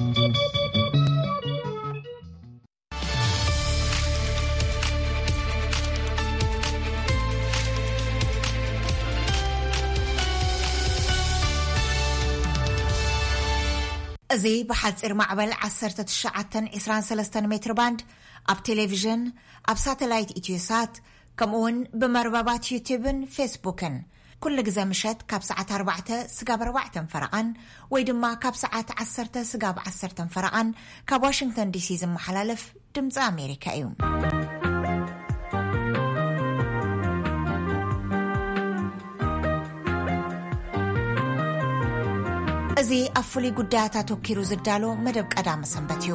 እዚ ብሓጺር ማዕበል ዓሰርተ ትሽዓተ ዕስራን ሰለስተን ሜትር ባንድ ኣብ ቴሌቪዥን፣ ኣብ ሳተላይት ኢትዮሳት፣ ከምኡውን ብመርበባት ዩቲብን ፌስቡክን ኩሉ ግዜ ምሸት ካብ ሰዓት ኣርባዕተ ስጋብ ኣርባዕተን ፈረቓን ወይ ድማ ካብ ሰዓት ዓሰርተ ስጋብ ዓሰርተን ፈረቓን ካብ ዋሽንግተን ዲሲ ዝመሓላለፍ ድምፂ ኣሜሪካ እዩ። እዚ ኣብ ፍሉይ ጉዳያት ኣተኪሩ ዝዳሎ መደብ ቀዳመ ሰንበት እዩ።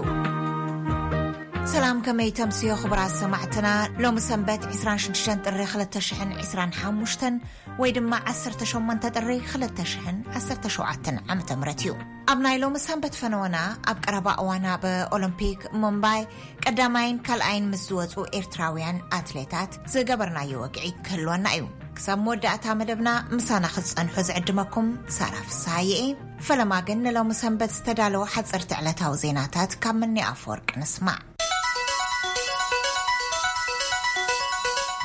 ሰላም፣ ከመይ ተምስዮ ክቡራት ሰማዕትና? ሎሚ ሰንበት ዕስራን ሽዱሽተን ጥሪ ክልተ ሽሕን ዕስራን ሓሙሽተን ወይ ድማ ዓሰርተ ሸሞንተ ጥሪ ክልተ ሽሕን ዓሰርተ ሸውዓተን ዓመተ ምህረት እዩ። ኣብ ናይ ሎሚ ሰንበት ፈነወና ኣብ ቀረባ እዋን ኣብ ኦሎምፒክ ሙምባይ ቀዳማይን ካልኣይን ምስ ዝወፁ ኤርትራውያን ኣትሌታት ዝገበርናዮ ወግዒ ክህልወና እዩ። ክሳብ መወዳእታ መደብና ምሳና ክትጸንሑ ዝዕድመኩም ሳራ ፍስሃየ እየ። ፈለማ ግን ንሎሚ ሰንበት ዝተዳለወ ሓጸርቲ ዕለታዊ ዜናታት ካብ ምኒ ኣፈወርቂ ንስማዕ።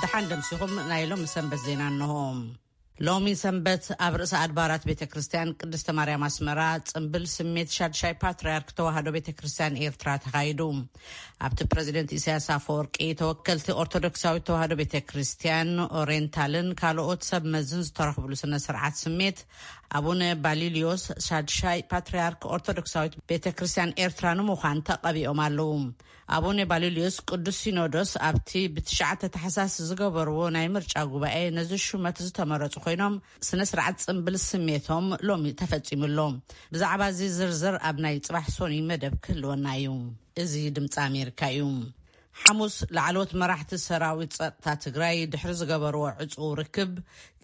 ደሓን ደምሲኹም፣ ናይ ሎሚ ሰንበት ዜና እንሆ። ሎሚ ሰንበት ኣብ ርእሰ ኣድባራት ቤተ ክርስቲያን ቅድስተ ማርያም ኣስመራ ጽምብል ስሜት ሻድሻይ ፓትርያርክ ተዋህዶ ቤተ ክርስቲያን ኤርትራ ተኻይዱ። ኣብቲ ፕረዚደንት ኢሳያስ ኣፈወርቂ፣ ተወከልቲ ኦርቶዶክሳዊት ተዋህዶ ቤተ ክርስቲያን ኦሬንታልን ካልኦት ሰብ መዝን ዝተረኽብሉ ስነ ስርዓት ስሜት፣ ኣቡነ ባሊልዮስ ሻድሻይ ፓትርያርክ ኦርቶዶክሳዊት ቤተ ክርስቲያን ኤርትራ ንምዃን ተቐቢኦም ኣለዉ። ኣቡነ ባሊልዮስ ቅዱስ ሲኖዶስ ኣብቲ ብትሽዓተ ታሕሳስ ዝገበርዎ ናይ ምርጫ ጉባኤ ነዚ ሹመት ዝተመረጹ ኮይኖም፣ ስነ ስርዓት ጽምብል ስሜቶም ሎሚ ተፈጺሙ ኣሎ። ብዛዕባ እዚ ዝርዝር ኣብ ናይ ጽባሕ ሶኒ መደብ ክህልወና እዩ። እዚ ድምፂ ኣሜሪካ እዩ። ሓሙስ ላዕለዎት መራሕቲ ሰራዊት ጸጥታ ትግራይ ድሕሪ ዝገበርዎ ዕጹው ርክብ፣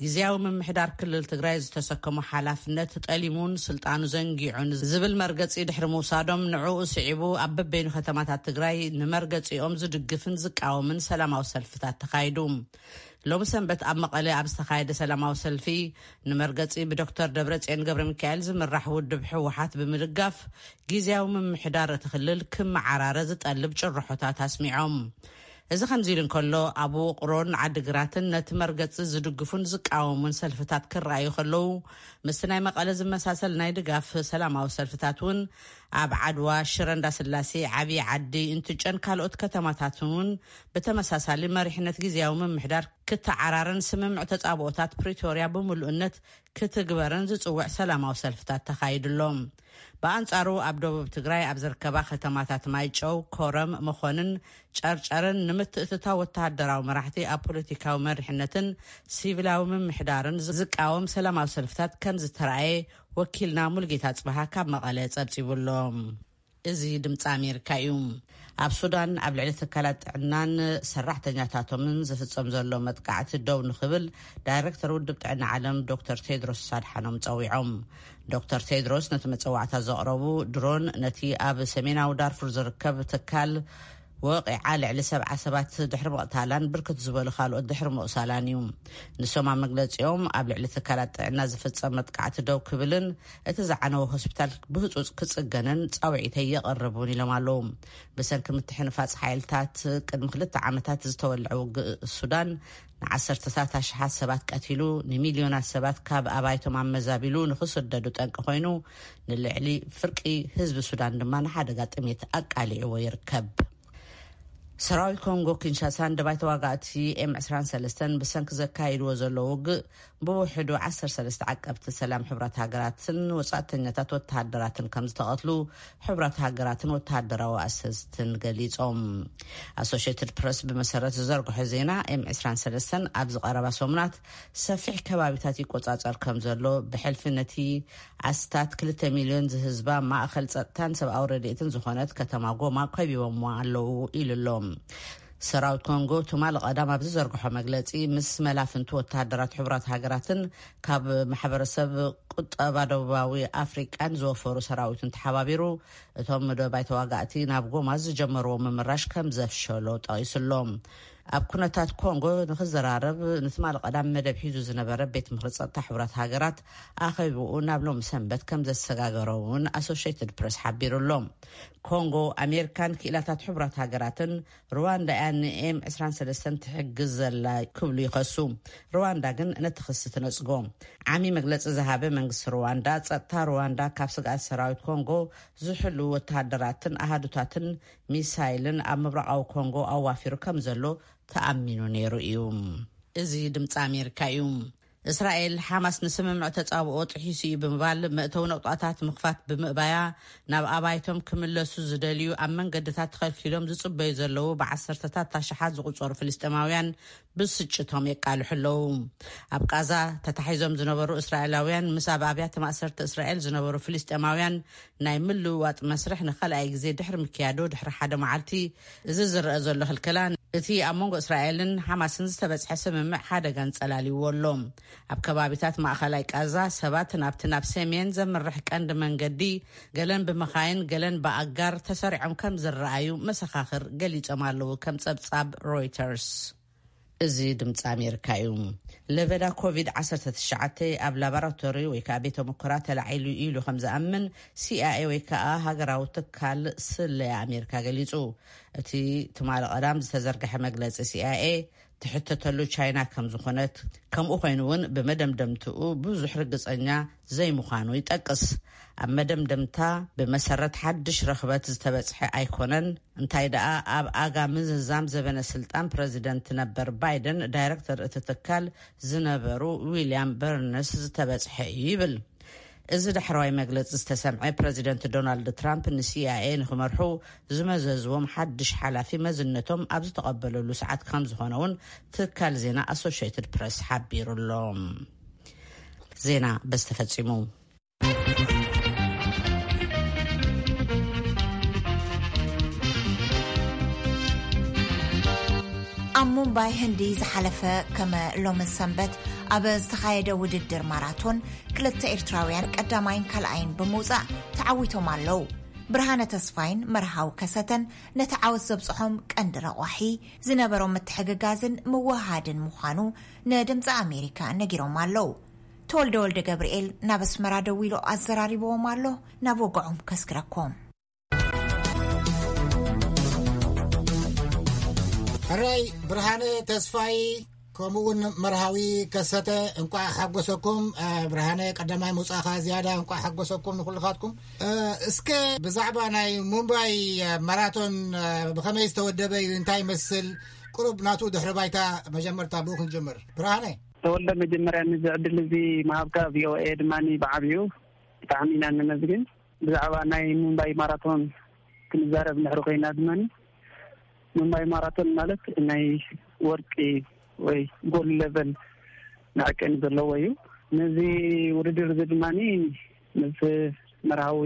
ግዝያዊ ምምሕዳር ክልል ትግራይ ዝተሰከሞ ሓላፍነት ጠሊሙን ስልጣኑ ዘንጊዑን ዝብል መርገጺ ድሕሪ ምውሳዶም፣ ንዕኡ ስዒቡ ኣብ በበይኑ ከተማታት ትግራይ ንመርገጺኦም ዝድግፍን ዝቃወምን ሰላማዊ ሰልፍታት ተኻይዱ። ሎሚ ሰንበት ኣብ መቐለ ኣብ ዝተኻየደ ሰላማዊ ሰልፊ፣ ንመርገጺ ብዶክተር ደብረጽዮን ገብረ ሚካኤል ዝምራሕ ውድብ ህወሓት ብምድጋፍ ግዝያዊ ምምሕዳር እቲ ክልል ክመዓራረ ዝጠልብ ጭርሖታት ኣስሚዖም። እዚ ከምዚ ኢሉ እንከሎ፣ ኣብ ውቕሮን ዓዲግራትን ነቲ መርገጺ ዝድግፉን ዝቃወሙን ሰልፍታት ክረኣዩ ከለዉ፣ ምስቲ ናይ መቐለ ዝመሳሰል ናይ ድጋፍ ሰላማዊ ሰልፍታት እውን ኣብ ዓድዋ፣ ሽረ እንዳስላሴ፣ ዓብዪ ዓዲ፣ እንትጨን ካልኦት ከተማታትን እውን ብተመሳሳሊ መሪሕነት ግዝያዊ ምምሕዳር ክተዓራረን ስምምዕ ተጻብኦታት ፕሪቶርያ ብምሉእነት ክትግበርን ዝጽውዕ ሰላማዊ ሰልፍታት ተኻይዱ ኣሎ። ብኣንጻሩ፣ ኣብ ደቡብ ትግራይ ኣብ ዝርከባ ከተማታት ማይጨው፣ ኮረም፣ መኾንን ጨርጨርን ንምትእትታው ወተሃደራዊ መራሕቲ ኣብ ፖለቲካዊ መሪሕነትን ሲቪላዊ ምምሕዳርን ዝቃወም ሰላማዊ ሰልፍታት ከም ዝተራእየ ወኪልና ሙልጌታ ጽበሃ ካብ መቐለ ጸብጺቡ ኣሎ። እዚ ድምፂ ኣሜሪካ እዩ። ኣብ ሱዳን ኣብ ልዕሊ ትካላት ጥዕናን ሰራሕተኛታቶምን ዝፍጸም ዘሎ መጥቃዕቲ ደው ንኽብል ዳይሬክተር ውድብ ጥዕና ዓለም ዶክተር ቴድሮስ ኣድሓኖም ጸዊዖም። ዶክተር ቴድሮስ ነቲ መጸዋዕታ ዘቕረቡ፣ ድሮን ነቲ ኣብ ሰሜናዊ ዳርፉር ዝርከብ ትካል ወቒዓ ልዕሊ ሰብዓ ሰባት ድሕሪ ምቕታላን ብርክት ዝበሉ ካልኦት ድሕሪ ምቑሳላን እዩ። ንሶም ኣብ መግለጺኦም፣ ኣብ ልዕሊ ትካላት ጥዕና ዝፍጸም መጥቃዕቲ ደው ክብልን እቲ ዝዓነወ ሆስፒታል ብህጹጽ ክጽገንን ጻውዒተይ የቕርብ እውን ኢሎም ኣለዉ። ብሰንኪ ምትሕንፋጽ ሓይልታት ቅድሚ ክልተ ዓመታት ዝተወልዐ ውግእ ሱዳን፣ ንዓሰርተታት ኣሽሓት ሰባት ቀቲሉ፣ ንሚልዮናት ሰባት ካብ ኣባይቶም ኣመዛቢሉ ንኽስደዱ ጠንቂ ኮይኑ፣ ንልዕሊ ፍርቂ ህዝቢ ሱዳን ድማ ንሓደጋ ጥሜት ኣቃሊዕዎ ይርከብ። ሰራዊት ኮንጎ ኪንሻሳን ደባይ ተዋጋእቲ ኤም ዕስራን ሰለስተን ብሰንኪ ዘካይድዎ ዘሎ ውግእ፣ ብውሕዱ ዓሰርተ ሰለስተ ዓቀብቲ ሰላም ሕቡራት ሃገራትን ወጻእተኛታት ወተሃደራትን ከም ዝተቐትሉ ሕቡራት ሃገራትን ወተሃደራዊ ኣሰስትን ገሊጾም። ኣሶሽየትድ ፕረስ ብመሰረት ዝዘርግሖ ዜና፣ ኤም ዕስራን ሰለስተን ኣብዚ ቀረባ ሰሙናት ሰፊሕ ከባቢታት ይቆጻጸር ከም ዘሎ፣ ብሕልፊ ነቲ ኣስታት ክልተ ሚልዮን ዝህዝባ ማእኸል ጸጥታን ሰብኣዊ ረድኤትን ዝኾነት ከተማ ጎማ ከቢቦምዋ ኣለዉ ኢሉ ኣሎ። ሰራዊት ኮንጎ ትማሊ ቀዳም ኣብ ዝዘርግሖ መግለጺ፣ ምስ መላፍንቱ ወተሃደራት ሕቡራት ሃገራትን ካብ ማሕበረሰብ ቁጠባ ደቡባዊ ኣፍሪቃን ዝወፈሩ ሰራዊትን ተሓባቢሩ፣ እቶም መደባይ ተዋጋእቲ ናብ ጎማ ዝጀመርዎ ምምራሽ ከም ዘፍሸሎ ጠቒሱ ኣሎ። ኣብ ኩነታት ኮንጎ ንክዘራረብ ንትማሊ ቀዳም መደብ ሒዙ ዝነበረ ቤት ምኽሪ ጸጥታ ሕቡራት ሃገራት ኣኼባኡ ናብ ሎም ሰንበት ከም ዘሰጋገሮ እውን ኣሶሽየትድ ፕሬስ ሓቢሩ ኣሎ። ኮንጎ ኣሜሪካን ክኢላታት ሕቡራት ሃገራትን ሩዋንዳ እያ ንኤም ዕስራን ሰለስተን ትሕግዝ ዘላ ክብሉ ይኸሱ። ሩዋንዳ ግን ነቲ ክሲ ትነጽጎ። ዓሚ መግለጺ ዝሃበ መንግስቲ ሩዋንዳ፣ ጸጥታ ሩዋንዳ ካብ ስግኣት ሰራዊት ኮንጎ ዝሕሉ ወተሃደራትን ኣሃዱታትን ሚሳይልን ኣብ ምብራቓዊ ኮንጎ ኣዋፊሩ ከም ዘሎ ተኣሚኑ ነይሩ እዩ። እዚ ድምፂ ኣሜሪካ እዩ። እስራኤል ሓማስ ንስምምዕ ተጻብኦ ጥሒሱ እዩ ብምባል መእተዊ ነቑጣታት ምኽፋት ብምእባያ፣ ናብ ኣባይቶም ክምለሱ ዝደልዩ ኣብ መንገድታት ተኸልኪሎም ዝጽበዩ ዘለዉ ብዓሰርተታት ኣሽሓት ዝቑጸሩ ፍልስጤማውያን ብስጭቶም የቃልሑ ኣለዉ። ኣብ ቃዛ ተታሒዞም ዝነበሩ እስራኤላውያን ምስ ኣብ ኣብያተ ማእሰርቲ እስራኤል ዝነበሩ ፍልስጤማውያን ናይ ምልውዋጥ መስርሕ ንኻልኣይ ግዜ ድሕሪ ምክያዱ ድሕሪ ሓደ መዓልቲ፣ እዚ ዝረአ ዘሎ ክልከላ እቲ ኣብ መንጎ እስራኤልን ሓማስን ዝተበጽሐ ስምምዕ ሓደጋ ኣንጸላልይዎ ኣሎ። ኣብ ከባቢታት ማእኸላይ ቃዛ ሰባት ናብቲ ናብ ሰሜን ዘምርሕ ቀንዲ መንገዲ ገለን ብመኻይን ገለን ብኣጋር ተሰሪዖም ከም ዝረኣዩ መሰኻኽር ገሊጾም ኣለዉ፣ ከም ጸብጻብ ሮይተርስ። እዚ ድምፂ ኣሜሪካ እዩ። ለበዳ ኮቪድ ዓሰርተ ትሽዓተ ኣብ ላቦራቶሪ ወይ ከዓ ቤተ ሙከራ ተላዒሉ ኢሉ ከም ዝኣምን ሲኣይኤ ወይ ከዓ ሃገራዊ ትካል ስለያ ኣሜሪካ ገሊፁ። እቲ ትማሊ ቀዳም ዝተዘርግሐ መግለፂ ሲኣይኤ ትሕተተሉ ቻይና ከም ዝኾነት፣ ከምኡ ኮይኑ እውን ብመደምደምትኡ ብዙሕ ርግፀኛ ዘይምዃኑ ይጠቅስ። ኣብ መደምደምታ፣ ብመሰረት ሓድሽ ረኽበት ዝተበጽሐ ኣይኮነን፣ እንታይ ደኣ ኣብ ኣጋ ምዝዛም ዘበነ ስልጣን ፕረዚደንት ነበር ባይደን ዳይረክተር እቲ ትካል ዝነበሩ ዊልያም በርነስ ዝተበጽሐ እዩ ይብል። እዚ ዳሕረዋይ መግለጺ ዝተሰምዐ ፕረዚደንት ዶናልድ ትራምፕ ንሲኣይኤ ንክመርሑ ዝመዘዝዎም ሓድሽ ሓላፊ መዝነቶም ኣብ ዝተቐበለሉ ሰዓት ከም ዝኾነ እውን ትካል ዜና ኣሶሽየትድ ፕረስ ሓቢሩ ኣሎ። ዜና በዚ ተፈጺሙ። ኣብ ሙምባይ ህንዲ ዝሓለፈ ከመ ሎምን ሰንበት ኣብ ዝተኻየደ ውድድር ማራቶን ክልተ ኤርትራውያን ቀዳማይን ካልኣይን ብምውጻእ ተዓዊቶም ኣለዉ። ብርሃነ ተስፋይን መርሃዊ ከሰተን ነቲ ዓወት ዘብጽሖም ቀንዲ ረቋሒ ዝነበሮም ምትሕግጋዝን ምውህሃድን ምዃኑ ንድምፂ ኣሜሪካ ነጊሮም ኣለዉ። ተወልደ ወልደ ገብርኤል ናብ ኣስመራ ደዊሉ ኣዘራሪብዎም ኣሎ። ናብ ወግዖም ከስግረኩም። ሕራይ ብርሃነ ተስፋይ ከምኡውን መርሃዊ ከሰተ እንቋዕ ሓጎሰኩም። ብርሃነ ቀዳማይ ምውፃእኻ ዝያዳ እንቋዕ ሓጎሰኩም ንኩልኻትኩም። እስከ ብዛዕባ ናይ ሙምባይ ማራቶን ብኸመይ ዝተወደበ እዩ፣ እንታይ ይመስል? ቁሩብ ናቱ ድሕሪ ባይታ መጀመርታ ብኡ ክንጅምር። ብርሃነ። ተወልደ፣ መጀመርያ ንዚ ዕድል እዚ ምሃብካ ቪኦኤ ድማ ብዓብዩ ብጣዕሚ ኢና ነመስግን። ብዛዕባ ናይ ሙምባይ ማራቶን ክንዛረብ እንድሕሪ ኮይና ድማ፣ ሙምባይ ማራቶን ማለት ናይ ወርቂ ወይ ጎልድ ለቨል መዐቀኒ ዘለዎ እዩ። ነዚ ውድድር እዚ ድማ ምስ መርሃዊ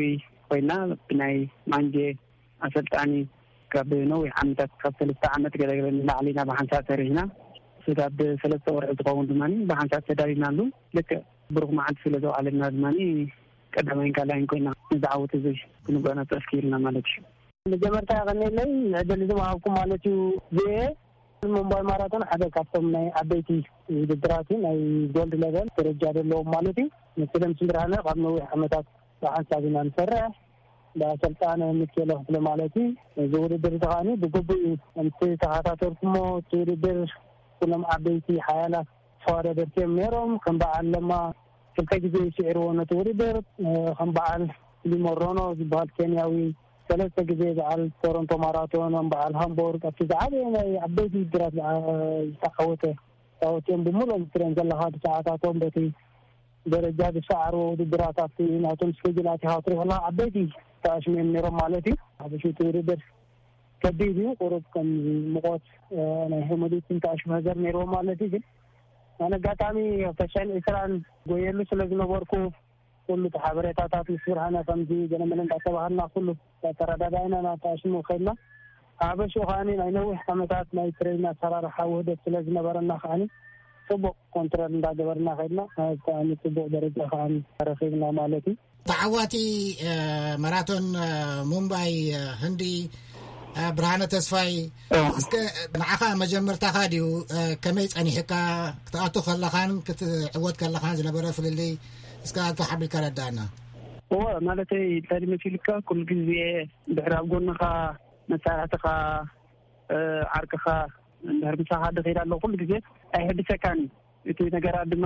ኮይና ብናይ ማንጀ ኣሰልጣኒ ካብ ነዊሕ ዓመታት፣ ካብ ሰለስተ ዓመት ገለገለ ንላዕሊ ኢና ብሓንሳብ ሰሪሕና። ስጋብ ሰለስተ ወርሒ ዝኸውን ድማ ብሓንሳብ ተዳሊናሉ። ልክዕ ብሩኽ መዓልቲ ስለ ዘውዓለና ድማ ቀዳማይን ካልኣይን ኮይና ነዚ ዓወት እዚ ክንጓናጸፍ ክኢልና ማለት እዩ። መጀመርታ የቐንየለይ ንዕድል እዚ ምሃብኩም ማለት እዩ። ቪኦኤ ሙምባይ ማራቶን ሓደ ካብቶም ናይ ዓበይቲ ውድድራት እዩ፣ ናይ ጎልድ ለቨል ደረጃ ዘለዎም ማለት እዩ። ንስለ ምስ ብርሃነ ካብ ነዊሕ ዓመታት ብሓንሳብ ኢና ንሰርሕ፣ ብኣሰልጣነ ሚካኤል ክፍለ ማለት እዩ። እዚ ውድድር እዚ ከዓኒ ብግቡእ እዩ። ከምቲ ተኸታተልኩሞ፣ እቲ ውድድር ኩሎም ዓበይቲ ሓያላት ተወዳደርቲ እዮም ነይሮም። ከም በዓል ለማ ክልተ ግዜ እዩ ስዒርዎ ነቲ ውድድር። ከም በዓል ሊሞሮኖ ዝበሃል ኬንያዊ ሰለስተ ግዜ በዓል ቶሮንቶ ማራቶን፣ በዓል ሃምቦርግ፣ ኣብቲ ዝዓበየ ናይ ዓበይቲ ውድድራት ዝተዓወተ፣ ተዓወትዮም ብምሉኦም ትሪኦም ዘለኻ ብሰዓታቶም በቲ ደረጃ ዝሰዓርዎ ውድድራት ኣብቲ ናቶም ስኬጅል ኣቲኻ ክትሪኦ ከለኻ ዓበይቲ ተኣሽሙ እዮም ነይሮም ማለት እዩ። ሓፈሽቲ ውድድር ከቢድ እዩ። ቁሩብ ከም ሙቐት ናይ ሄሞሊትን ተኣሽሙ ነገር ነይርዎም ማለት እዩ። ግን ኣነ ኣጋጣሚ ኣብ ተሻን ዒስራን ጎየሉ ስለ ዝነበርኩ ኩሉ እቲ ሓበሬታታት ምስ ብርሃነ ከምዚ ገለመለ እንዳተባሃልና ኩሉ እንዳተረዳዳእና ናብ ተኣሽሙ ከድና። ሓበሽኡ ከዓኒ ናይ ነዊሕ ዓመታት ናይ ትሬኒንግ ኣሰራርሓ ውህደት ስለ ዝነበረና ከዓኒ ጽቡቕ ኮንትሮል እንዳገበርና ከድና። ከዓኒ ጽቡቕ ደረጃ ከዓኒ ረኺብና ማለት እዩ። ተዓዋቲ ማራቶን ሙምባይ ህንዲ እ፣ ብርሃነ ተስፋይ፣ እ። እስከ ንዓኻ መጀመርታኻ ድዩ፣ እ፣ ከመይ ጸኒሕካ ክትኣቱ ከለኻን ክትዕወት ከለኻን ዝነበረ ፍልልይ እስከ ኣቶ ሓቢርካ ረዳእና። እወ፣ ማለተይ እንታይ መሲልካ፣ ኩሉ ግዜ ድሕሪ ኣብ ጎንኻ መሳርሕትኻ፣ እ፣ ዓርክኻ እንድሕር ምሳኻ ድኸይድ ኣሎ፣ ኩሉ ግዜ ኣይሕድሰካን እዩ። እቲ ነገራት ድማ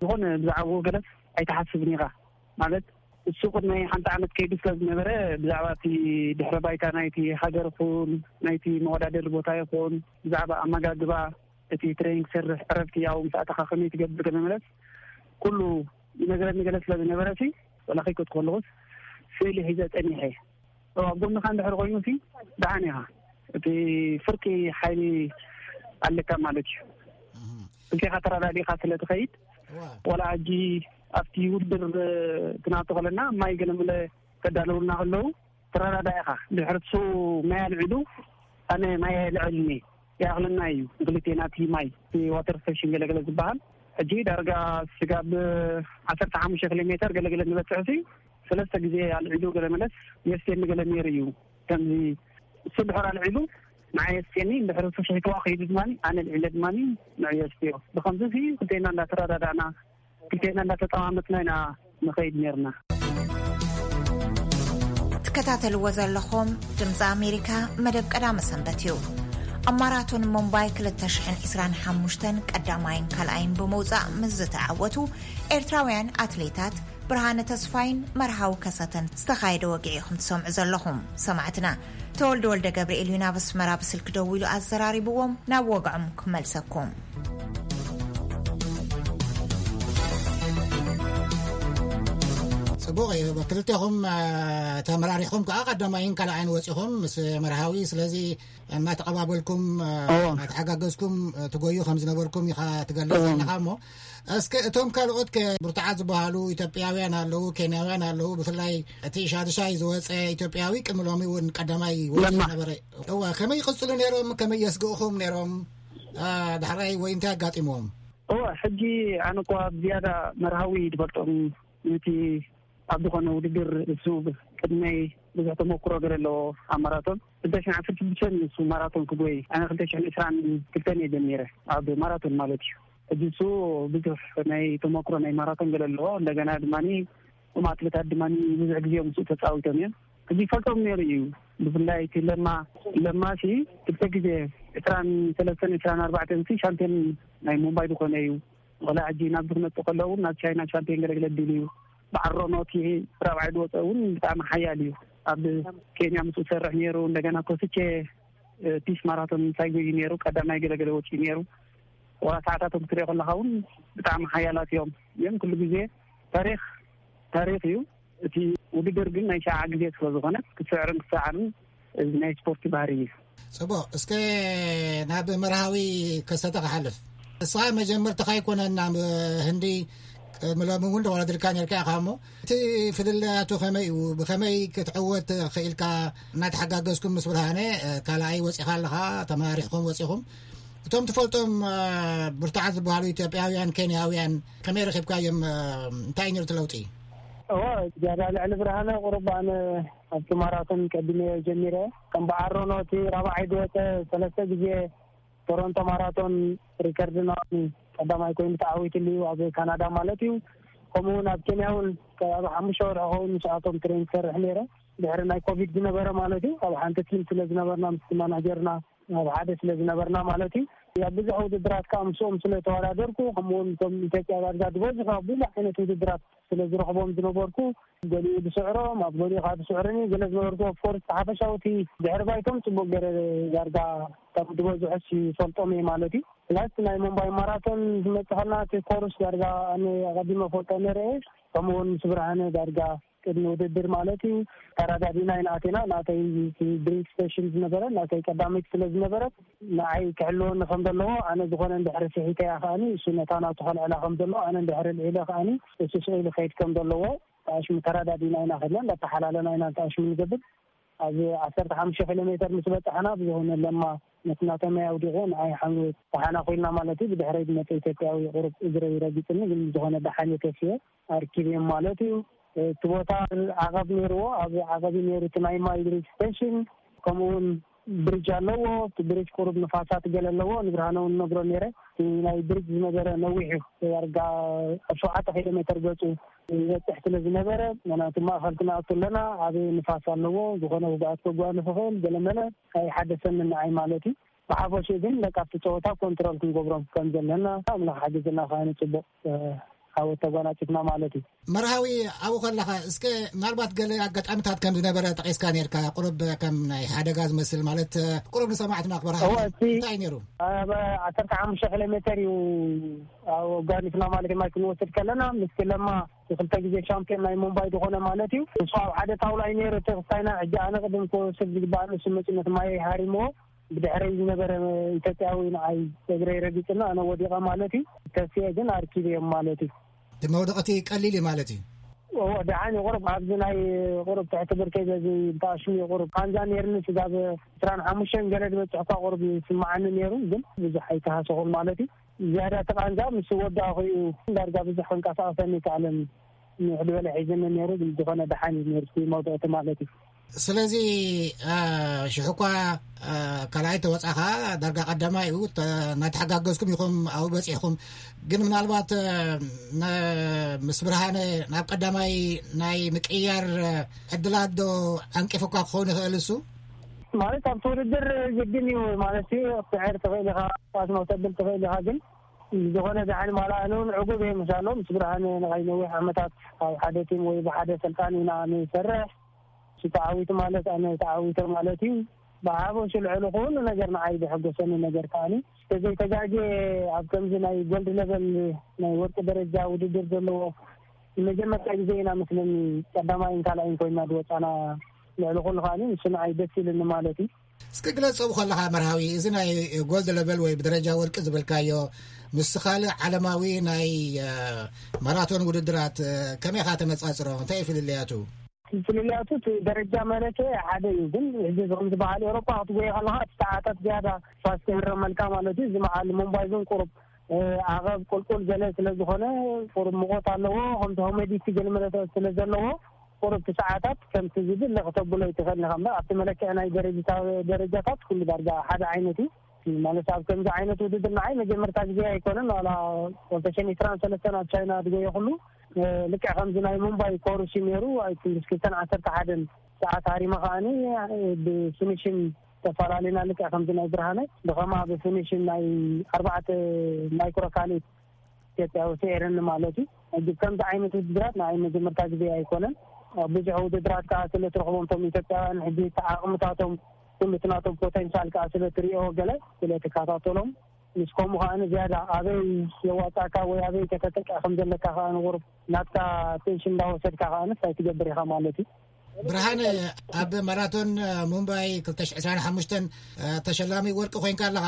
ዝኾነ ብዛዕባኡ ገለስ ኣይትሓስብን ኢኻ። ማለት እሱ ቅድሚ ሓንቲ ዓመት ከይዱ ስለ ዝነበረ ብዛዕባ እቲ ድሕረ ባይታ ናይቲ ሃገር ይኹን ናይቲ መወዳደሪ ቦታ ይኹን ብዛዕባ ኣመጋግባ እቲ ትሬኒንግ ሰርሕ ዕረፍቲ ያው ምስ ኣተኻ ከመይ ትገብር ገለ መለስ ኩሉ ይነግረኒ ገለ ስለ ዝነበረ ሲ ወላ ከይከድኩ ከለኹስ ስእሊ ሒዘ ጸኒሐ። ኣብ ጎንኻ እንድሕር ኮይኑ ሲ ደሓን ኢኻ። እቲ ፍርቂ ሓይሊ ኣለካ ማለት እዩ። እህ። ብጌኻ ተረዳዲኻ ስለ ትኸይድ፣ እዋ። ወላ ሕጂ ኣብቲ ውድድር፣ እ፣ ትናቶ ከለና ማይ ገለመለ ከዳለውልና ከለዉ፣ ትረዳዳ ኢኻ። ድሕሪ እሱ ማይ ኣልዒሉ፣ ኣነ ማይ ኣይልዕልን እየ። ይኣኽለና እዩ። ንክልቴና እቲ ማይ፣ እቲ ዋተር ስቴሽን ገለገለ ዝበሃል። ሕጂ ዳርጋ ስጋብ ዓሰርተ ሓሙሽተ ኪሎ ሜተር ገለገለ ንበጽሕ ሲ፣ ሰለስተ ግዜ ኣልዒሉ ገለ መለስ የስቴኒ ገለ ነይሩ እዩ። ከምዚ እሱ ድሕር ኣልዒሉ ንዓይ የስቴኒ፣ እንድሕር እሱ ሽሕትዋ ከይዱ ድማ ኣነ ልዒለ ድማ ንዕዮ የስትዮ። ብኸምዚ ሲ ክልቴና እንዳተረዳዳእና፣ ክልቴና እንዳተጠማመትና ኢና ንኸይድ ነይርና። ትከታተልዎ ዘለኹም ድምፂ ኣሜሪካ መደብ ቀዳመ ሰንበት እዩ። ኣብ ማራቶን ሙምባይ ክልተ ሽሕን ዕስራን ሓሙሽተን ቀዳማይን ካልኣይን ብምውፃእ ምስ ዝተዓወቱ ኤርትራውያን ኣትሌታት ብርሃነ ተስፋይን መርሃዊ ከሰተን ዝተኻየደ ወግዒ ኢኹም ትሰምዑ ዘለኹም። ሰማዕትና ተወልደ ወልደ ገብርኤል እዩ ናብ ኣስመራ ብስልኪ ደዊሉ ኣዘራሪብዎም። ናብ ወግዖም ክመልሰኩም። ጽቡቕ እዩ። ክልቴኹም፣ እ፣ ተመራሪሕኩም ከኣ ቀዳማይን ካልኣይን ወጺኹም ምስ መርሃዊ። ስለዚ እናተቐባበልኩም፣ እ፣ እዎ። እናተሓጋገዝኩም፣ እ፣ ትጎዩ ከም ዝነበርኩም ኢኻ ትገልጽ እዎ። ዘለኻ እሞ፣ እስከ እቶም ካልኦት ከ ብርቱዓት ዝበሃሉ ኢትዮጵያውያን ኣለዉ፣ ኬንያውያን ኣለዉ፣ ብፍላይ እቲ ሻድሻይ ዝወጸ ኢትዮጵያዊ ቅድሚ ሎሚ እውን ቀዳማይ ወጺኡ ለማ። ነበረ። እወ፣ ከመይ ይቕጽሉ ነይሮም? ከመይ የስግእኹም ነይሮም? እ፣ ዳሕራይ ወይ እንታይ ኣጋጢምዎም? እወ፣ ሕጂ ኣነ እኳ ብዝያዳ መርሃዊ ዝፈልጦም ነቲ ኣብ ዝኾነ ውድድር እሱ ቅድመይ ብዙሕ ተመክሮ ገለ ኣለዎ ኣብ ማራቶን። ክልተ ሽሕን ዓሰርተ ሽዱሽተን እሱ ማራቶን ክጎይ፣ ኣነ ክልተ ሽሕን ዕስራን ክልተን እየ ጀሚረ፣ ኣብ ማራቶን ማለት እዩ። ሕጂ እሱ ብዙሕ ናይ ተመክሮ ናይ ማራቶን ገለ ኣለዎ። እንደገና ድማ እቶም ኣትሌታት ድማ ብዙሕ ግዜ ምስኡ ተፃዊቶም እዮም። ሕጂ ይፈልጦም ነይሩ እዩ። ብፍላይ እቲ ለማ፣ ለማ ሲ ክልተ ግዜ ዕስራን ሰለስተን ዕስራን ኣርባዕተን ሲ ሻምፒዮን ናይ ሙምባይ ዝኾነ እዩ። ወላ ሕጂ ናብዚ ክመጽእ ከሎ እውን ናብ ቻይና ሻምፒዮን ገለግለ ድል እዩ። ብዓሮ ኖቲ ራብዓይ ዝወፀ እውን ብጣዕሚ ሓያል እዩ። ኣብ ኬንያ ምስኡ ሰርሕ ነይሩ። እንደገና ኮስቼ፣ እ፣ ፒስ ማራቶን እንታይ ጎዩ ነይሩ፣ ቀዳማይ ገለገለ ወፂኡ ነይሩ። ወላ ሰዓታቶም ክትሪኦ ከለኻ እውን ብጣዕሚ ሓያላት እዮም። ግን ኩሉ ግዜ ታሪኽ ታሪኽ እዩ። እቲ ውድድር ግን ናይ ሸዓ ግዜ ስለ ዝኾነ ክስዕርን ክሰዓርን እዚ ናይ ስፖርት ባህሪ እዩ። ጽቡቕ። እስከ ናብ መርሃዊ ከሰተ ክሓልፍ። ንስኻ መጀመርታኻ ኣይኮነን ናብ ህንዲ፣ ቅድሚ ሎሚ እውን ተወዳዲርካ ነርካ ኢኻ እሞ፣ እቲ ፍልልያቱ ከመይ እዩ? ብኸመይ ክትዕወት ክኢልካ? እናተሓጋገዝኩም ምስ ብርሃነ፣ እ፣ ካልኣይ ወጺኻ ኣለኻ፣ ተመራሪሕኩም ወጺኹም። እቶም ትፈልጦም፣ እ፣ ብርቱዓት ዝበሃሉ ኢትዮጵያውያን፣ ኬንያውያን ከመይ ረኺብካዮም? እ፣ እንታይ እዩ ነይሩ እቲ ለውጢ? እወ፣ ዝያዳ ልዕሊ ብርሃነ ቁሩብ ኣነ ኣብቲ ማራቶን ቀዲመዮ ጀሚረ። ከም ብዓሮ ኖቲ ራብዓይ ዝወጸ ሰለስተ ግዜ ቶሮንቶ ማራቶን ሪከርድ ናቱ ቀዳማይ ኮይኑ ተዓዊትሉ እዩ፣ ኣብ ካናዳ ማለት እዩ። ከምኡ እውን ኣብ ኬንያ እውን ኣብ ሓሙሽተ ወርሒ ኸውን ምስኣቶም ትሬን ክሰርሕ ነይረ። ድሕሪ ናይ ኮቪድ ዝነበረ ማለት እዩ፣ ኣብ ሓንቲ ቲም ስለ ዝነበርና፣ ምስቲ ማናጀርና ኣብ ሓደ ስለ ዝነበርና ማለት እዩ። ኣብ ብዙሕ ውድድራት ከዓ ምስኦም ስለ ተወዳደርኩ፣ ከምኡ እውን እቶም ኢትዮጵያ ዳርጋ ዝበዝሑ ኣብ ብዙሕ ዓይነት ውድድራት ስለ ዝረኽቦም ዝነበርኩ፣ ገሊኡ ዝስዕሮም፣ ኣብ ገሊኡ ከዓ ዝስዕርኒ ገለ ዝነበርኩ፣ ኦፍኮርስ፣ ሓፈሻዊ እቲ ድሕሪ ባይቶም ጽቡቕ ገይረ ዳርጋ ካብ ዝበዝሑ ይፈልጦም እየ ማለት እዩ። ፕላስ ናይ ሙምባይ ማራቶን ዝመጽእ ከለና እቲ ኮርስ ዳርጋ ኣነ ኣቐዲመ ፈልጦ ነይረ እየ። ከምኡ እውን ምስ ብርሃነ ዳርጋ ቅድሚ ውድድር ማለት እዩ፣ ተረዳዲና ኢና ኣቲና። ናተይ ድሪንክ ስቴሽን ዝነበረ፣ ናተይ ቀዳመይቲ ስለ ዝነበረት፣ ንዓይ ክሕልወኒ ከም ዘለዎ፣ ኣነ ዝኾነ እንድሕሪ ስሒተ እያ ከኣኒ፣ እሱ ነታ ናቱ ከልዕላ ከም ዘለዎ፣ ኣነ እንድሕሪ ልዒለ ከኣኒ፣ እሱ ስቕ ኢሉ ክኸይድ ከም ዘለዎ፣ ኣሽሙ ተረዳዲና ኢና ከድና፣ እንዳተሓላለና ኢና ኣሽሙ ንገብር። ኣብ ዓሰርተ ሓሙሽተ ኪሎ ሜተር ምስ በጻሕና፣ ብዝኾነ ለማ ነቲ ናቶም ኣውዲቑ፣ ንዓይ ሓምሉ ተሓናኺልና ማለት እዩ። ብድሕረይ ዝመጸ ኢትዮጵያዊ ቁሩብ እግረይ ረጊጽኒ፣ ግን ዝኾነ ደሓን እየ ተሲኤ ኣርኪበዮም ማለት እዩ። እቲ ቦታ ዓቐብ ነይርዎ፣ ኣብ ዓቐብ እዩ ነይሩ እቲ ናይ ማይ ድሪንክ ስቴሽን። ከምኡ እውን ብሪጅ ኣለዎ። እቲ ብሪጅ ቁሩብ ንፋሳት ገለ ኣለዎ። ንብርሃነ እውን ነግሮ ነይረ። እቲ ናይ ብሪጅ ዝነበረ ነዊሕ እዩ። ዳርጋ ኣብ ሸውዓተ ኪሎ ሜተር ገጹ ይበጽሕ ስለ ዝነበረ፣ ምኽንያቱ ማእኸል ክንኣቱ ኣለና፣ ዓብዪ ንፋስ ኣለዎ፣ ዝኾነ ውግኣት ከጓንፍ ይኽእል፣ ገለመለ ኣይሓደሰንን ንዓይ ማለት እዩ። ብሓፈሽኡ ግን በቃ ኣብቲ ጸወታ ኮንትሮል ክንገብሮም ከም ዘለና ኣምላኽ ሓግዝና ከኣ ንጽቡቕ ዓወት ተጓናጺፍና ማለት እዩ። መርሃዊ ኣብኡ ከለኻ እስከ ምናልባት ገለ ኣጋጣሚታት ከም ዝነበረ ጠቒስካ ነርካ። ቁሩብ ከም ናይ ሓደጋ ዝመስል ማለት ቁሩብ ንሰማዕትና ክበርሃ እወ፣ እቲ እንታይ ነይሩ? ኣብ ዓሰርተ ሓሙሽተ ኪሎ ሜተር እዩ ኣጓኒፍና ማለት እዩ። ማይ ክንወስድ ከለና ምስ ለማ ክልተ ግዜ ሻምፒዮን ናይ ሙምባይ ዝኾነ ማለት እዩ። ንሱ ኣብ ሓደ ጣውላ እዩ ነይሩ። እቲ ክስታይና ሕጂ ኣነ ቅድም ክወስድ ዝግባእ ንሱ መፂኡ ነቲ ማይ ሃሪምዎ። ብድሕረይ ዝነበረ ኢትዮጵያዊ ንዓይ እግረይ ረጊፅና ኣነ ወዲቐ ማለት እዩ። ተስየ ግን ኣርኪበዮም ማለት እዩ። እቲ መውደቕቲ ቀሊል እዩ ማለት እዩ። እዎ፣ ደሓን እዩ። ቁሩብ ኣብዚ ናይ ቁሩብ ትሕቲ ብርከይ በዚ ብተኣሽሙ እዩ። ቁሩብ ቃንዛ ነይርኒ፣ ስጋብ ዕስራን ሓሙሽተን ገለ ዝበፅሕ እኳ ቁሩብ ይስምዓኒ ነይሩ፣ ግን ብዙሕ ኣይተሃሰኹን ማለት እዩ። ዝያዳ እቲ ቃንዛ ምስ ወዳእኹ እዩ ዳርጋ ብዙሕ ክንቀሳቐሰኒ ይከኣለን። ንውሕድ በለ ሒዝኒ ነይሩ፣ ግን ዝኾነ ደሓን እዩ ነይሩ እቲ መውደቕቲ ማለት እዩ። ስለዚ፣ አ፣ ሽሕ እኳ፣ አ፣ ካልኣይ ተወጻኻ ዳርጋ ቀዳማይ እዩ፣ ተ-፣ እናተሓጋገዝኩም ኢኹም ኣብኡ በጺሕኩም። ግን ምናልባት፣ አ፣ ነ-፣ ምስ ብርሃነ ናብ ቀዳማይ ናይ ምቅያር፣ አ፣ ዕድላት ዶ ዓንቂፉካ ክኸውን ይኽእል እሱ? ማለት ኣብቲ ውድድር ግድን እዩ ማለት እዩ፣ ክትስዕር ትኽእል ኢኻ፣ ኳስ መውተብል ትኽእል ኢኻ፣ ግን ዝኾነ ደሓን ማላ ኣነ እውን ዕጉብ እየ ምሳሎም። ምስ ብርሃነ ንዓይ ነዊሕ ዓመታት ኣብ ሓደ ቲም ወይ ብሓደ ሰልጣን ኢና ንሰርሕ። እሱ ተዓዊቱ ማለት ኣነ ተዓዊተ ማለት እዩ። ብሓፈሽኡ ልዕሊ ኩሉ ነገር ንዓይ ዘሐጎሰኒ ነገር ከኣኒ፣ ተዘይተጋግየ ኣብ ከምዚ ናይ ጎልድ ለቨል ናይ ወርቂ ደረጃ ውድድር ዘለዎ ንመጀመርታ ግዜ ኢና መስለኒ ቀዳማይን ካልኣይን ኮይና ዝወፃና። ልዕሊ ኩሉ ከኣኒ ንሱ ንዓይ ደስ ኢሉኒ ማለት እዩ። እስኪ ግለጾ ከለኻ መርሃዊ፣ እዚ ናይ ጎልድ ለቨል ወይ ብደረጃ ወርቂ ዝበልካዮ ምስ ካልእ ዓለማዊ ናይ፣ እ፣ ማራቶን ውድድራት፣ እ፣ ከመይ ኢኻ ተነጻጽሮ? እንታይ እዩ ፍልልያቱ? ፍልልያቱ እቲ ደረጃ መለኪ ሓደ እዩ፣ ግን እዚ ከምዚ በዓል ኤውሮጳ ክትጎየ ከለኻ እቲ ሰዓታት ዝያዳ ፋስት ይህረመልካ ማለት እዩ። እዚ በዓል ሙምባይ ግን ቁሩብ፣ እ፣ ዓቐብ ቁልቁል ገለ ስለ ዝኾነ ቁሩብ ሙቐት ኣለዎ፣ ከምቲ ሆሜዲቲ ገለ መለኪ ስለ ዘለዎ ቁሩብ እቲ ሰዓታት ከምቲ ዝድለ ክተብሎ ይትኽእል ኢኻ እምበር ኣብቲ መለክዒ ናይ ደረጃታ-፣ ደረጃታት ኩሉ ዳርጋ ሓደ ዓይነት እዩ። ማለት ኣብ ከምዚ ዓይነት ውድድር ንዓይ መጀመርታ ግዜ ኣይኮነን። ዋላ ክልተ ሽሕን ዕስራን ሰለስተን ኣብ ቻይና ዝጎየኹሉ፣ እ፣ ልክዕ ከምዚ ናይ ሙምባይ ኮርስ እዩ ነይሩ። ኣብ ክንዲ ክልተን ዓሰርተ ሓደን ሰዓት ሃሪመ ከኣኒ፣ እ፣ ብፊኒሽን ተፈላለና። ልክዕ ከምዚ ናይ ብርሃነ ብኸማ ብፊኒሽን ናይ ኣርባዕተ ማይክሮ ካልኢት ኢትዮጵያ ወፂኤረኒ ማለት እዩ። ሕጂ ከምዚ ዓይነት ውድድራት ንዓይ መጀመርታ ግዜ ኣይኮነን። ኣብ ብዙሕ ውድድራት ከዓ ስለ ትረኽቦም እቶም ኢትዮጵያውያን ሕጂ እቲ ዓቕምታቶም ኩሉ እቲ ናቶም ፖቴንሻል ከዓ ስለ ትሪኦ ገለ ስለ ትከታተሎም ምስ ከምኡ ከዓ ዝያዳ ኣበይ የዋፃእካ ወይ ኣበይ ከተጠቅዕ ከም ዘለካ ከዓ ንቁሩብ ናትካ ኣቴንሽን እንዳወሰድካ ከዓ እንታይ ትገብር ኢኻ ማለት እዩ። ብርሃነ፣ ኣብ ማራቶን፣ እ፣ ሙምባይ ክልተ ሽሕ ዕስራን ሓሙሽተን፣ እ፣ ተሸላሚ ወርቂ ኮይንካ ኣለኻ።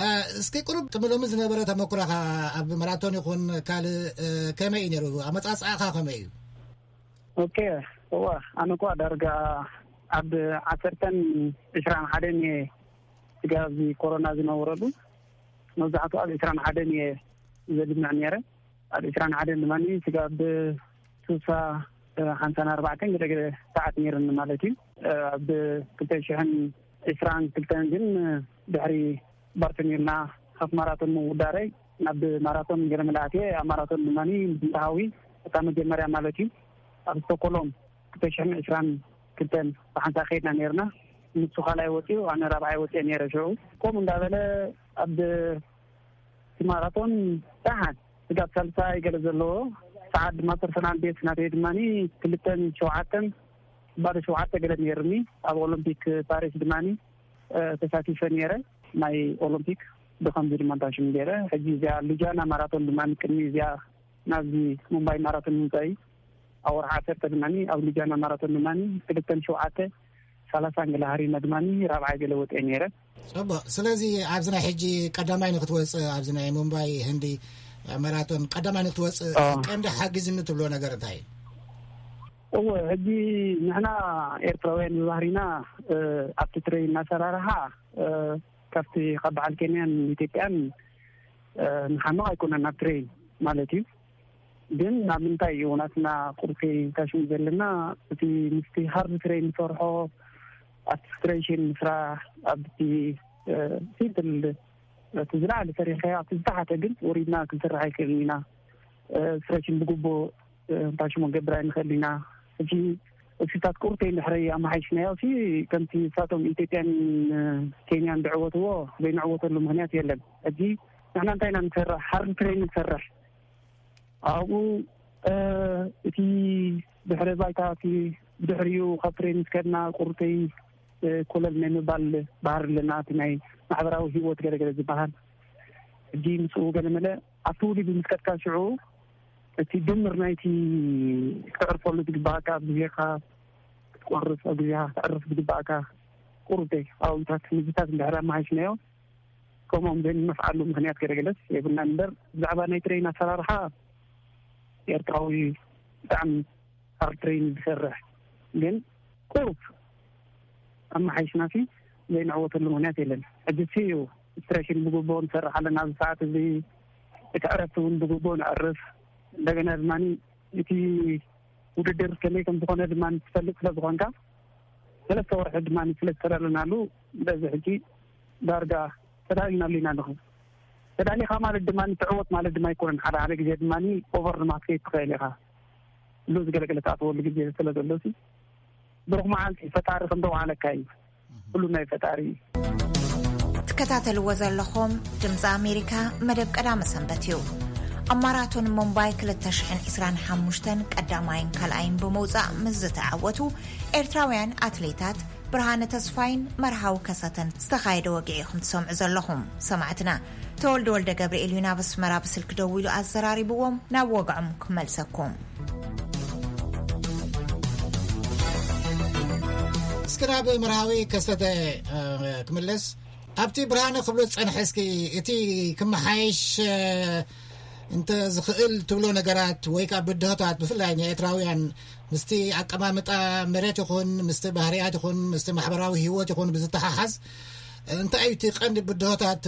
እ፣ እስኪ ቁሩብ ቅድሚ ሎሚ ዝነበረ ተመኩሮኻ ኣብ ማራቶን ይኹን ካልእ፣ እ፣ ከመይ እዩ ነይሩ? ኣመጻጽኣኻ ከመይ እዩ? ኦኬ፣ እወ፣ ኣነ እኳ ዳርጋ ኣብ ዓሰርተን ዕስራን ሓደን እየ ስጋብ እዚ ኮሮና ዝነበረሉ፣ መብዛሕትኡ ኣብ ዕስራን ሓደን እየ ዘድምዕ ነይረ። ኣብ ዕስራን ሓደን ድማ ስጋብ ስሳ ሓምሳን ኣርባዕተን ገለ ገለ ሰዓት ነይርኒ ማለት እዩ። ኣብ ክልተ ሽሕን ዕስራን ክልተን ግን ድሕሪ ባርተሚርና ሃፍ ማራቶን ምውዳረይ ናብ ማራቶን ገለ መለ ኣትየ፣ ኣብ ማራቶን ድማ ምስ እንተሃዊ እታ መጀመርያ ማለት እዩ ኣብ ስቶኮሎም ክልተ ሽሕን ዕስራን ክልተን ብሓንሳእ ከይድና ነይርና። ንሱ ካልኣይ ወፂኡ፣ ኣነ ራብዓይ ወፂአ ነይረ። ሽዑ ከምኡ እንዳበለ ኣብ እቲ ማራቶን ደሓን ስጋብ ሳልሳይ ገለ ዘለዎ ሰዓት ድማ ፐርሰናል ቤስት ናተይ ድማ ክልተን ሸውዓተን ባዶ ሸውዓተ ገለ ነይርኒ። ኣብ ኦሎምፒክ ፓሪስ ድማ፣ እ፣ ተሳቲፈ ነይረ። ናይ ኦሎምፒክ ብኸምዚ ድማ እንታሽም ገይረ። ሕጂ እዚኣ ሉጃና ማራቶን ድማ ቅድሚ እዚኣ ናብዚ ሙምባይ ማራቶን ምምፃእይ ኣብ ወርሒ ዓሰርተ ድማ ኣብ ሉጃና ማራቶን ድማ ክልተን ሸውዓተ ሰላሳን ገለ ሃሪመ ድማ ራብዓይ ገለ ወፅአ ነይረ። ጽቡቕ። ስለዚ ኣብዚ ናይ ሕጂ ቀዳማይ ንክትወጽእ፣ ኣብዚ ናይ ሙምባይ ህንዲ ማራቶን ቀዳማይ ንክትወጽእ ኦ። ቀንዲ ሓጊዝኒ ትብሎ ነገር እንታይ እዩ? እወ፣ ሕጂ ንሕና ኤርትራውያን ብባህሪና፣ እ፣ ኣብቲ ትሬን ኣሰራርሓ፣ እ፣ ካብቲ ካብ በዓል ኬንያን ኢትዮጵያን፣ እ፣ ንሓምቕ ኣይኮነን ኣብ ትሬን ማለት እዩ። ግን ናብ ምንታይ እዩ ናትና ቁርሲ ታሽሙ ዘለና? እቲ ምስቲ ሃርድ ትሬን ንሰርሖ ኣብቲ ስትሬሽን ምስራሕ ኣብቲ ሲምፕል እቲ ዝለዓለ ሰሪሕካዮ ኣብቲ ዝተሓተ ግን ወሪድና ክንሰርሕ ኣይክእልን ኢና። ስትሬሽን ብግቡእ እንታይ ሽሙ ገብር ኣይንኽእል ኢና። ሕጂ እሲታት ቁርተይ እንድሕረይ ኣመሓይሽናዮ ሲ ከምቲ ንሳቶም ኢትዮጵያን ኬንያን ዝዕወትዎ ዘይንዕወተሉ ምክንያት የለን። ሕጂ ንሕና እንታይ ኢና ንሰርሕ? ሓርድ ትሬን ንሰርሕ። ኣብኡ እቲ ድሕረ ባይታ እቲ ብድሕሪኡ ካብ ትሬን ምስ ከድና ቁርተይ ኮለል ናይ ምባል ባህር ኣለና። እቲ ናይ ማሕበራዊ ህይወት ገለገለ ዝበሃል ሕጂ ምስኡ ገለመለ ኣብቲ ውድድር ምስ ከድካ ሽዑ እቲ ድምር ናይቲ ክተዕርፈሉ ዝግባእካ ኣብ ግዜኻ ክትቆርፍ ኣብ ግዜኻ ክተዕርፍ ዝግባእካ ቁርብ ኣውታት ምግብታት እንድሕር ኣመሃይሽናዮ ከምኦም ዘይንነፍዓሉ ምክንያት ገለገለስ የብልናን እምበር ብዛዕባ ናይ ትሬን ኣሰራርሓ ኤርትራዊ ብጣዕሚ ኣብ ትሬን ዝሰርሕ ግን ቁሩብ ኣመሓይሽናሲ ዘይንዕወተሉ ምክንያት የለን። ሕጂ ሲ እዩ ስትሬሽን ብግቡእ ንሰርሕ ኣለና ኣብዚ ሰዓት እዚ እቲ ዕረፍቲ እውን ብግቡእ ንዕርፍ። እንደገና ድማ እቲ ውድድር ከመይ ከም ዝኾነ ድማ ትፈልጥ ስለ ዝኾንካ ሰለስተ ወርሒ ድማ ስለ ዝተዳለናሉ በዚ ሕጂ ዳርጋ ተዳሊናሉ ኢና ኣለኹ። ተዳሊኻ ማለት ድማ ትዕወት ማለት ድማ ኣይኮነን። ሓደ ሓደ ግዜ ድማ ኦቨር ድማ ክትከይድ ትኽእል ኢኻ። ሉዝ ገለገለ ትኣትወሉ ግዜ ስለ ዘሎ ሲ ብሩኽ መዓልቲ ፈጣሪ ከም ዘውዓለካ እዩ። ኩሉ ናይ ፈጣሪ እዩ። ትከታተልዎ ዘለኹም ድምፂ ኣሜሪካ መደብ ቀዳመ ሰንበት እዩ። ኣብ ማራቶን ሙምባይ ክልተ ሽሕን ዕስራን ሓሙሽተን ቀዳማይን ካልኣይን ብምውፃእ ምስ ዝተዓወቱ ኤርትራውያን ኣትሌታት ብርሃነ ተስፋይን መርሃዊ ከሰተን ዝተኻየደ ወግዒ ኢኹም ትሰምዑ ዘለኹም። ሰማዕትና ተወልደ ወልደ ገብርኤል እዩ ናብ ኣስመራ ብስልክ ደዊሉ ኣዘራሪብዎም። ናብ ወግዖም ክመልሰኩም። እስኪ ናብ መርሃዊ ከሰተ ክምለስ። ኣብቲ ብርሃነ ክብሎ ዝጸንሐ እስኪ እቲ ክመሓየሽ እንተ ዝኽእል ትብሎ ነገራት ወይ ከዓ ብድሆታት ብፍላይ ንኤርትራውያን ምስቲ ኣቀማምጣ መሬት ይኹን ምስቲ ባህርያት ይኹን ምስቲ ማሕበራዊ ህይወት ይኹን ብዝተሓሓዝ እንታይ እዩ እቲ ቀንዲ ብድሆታት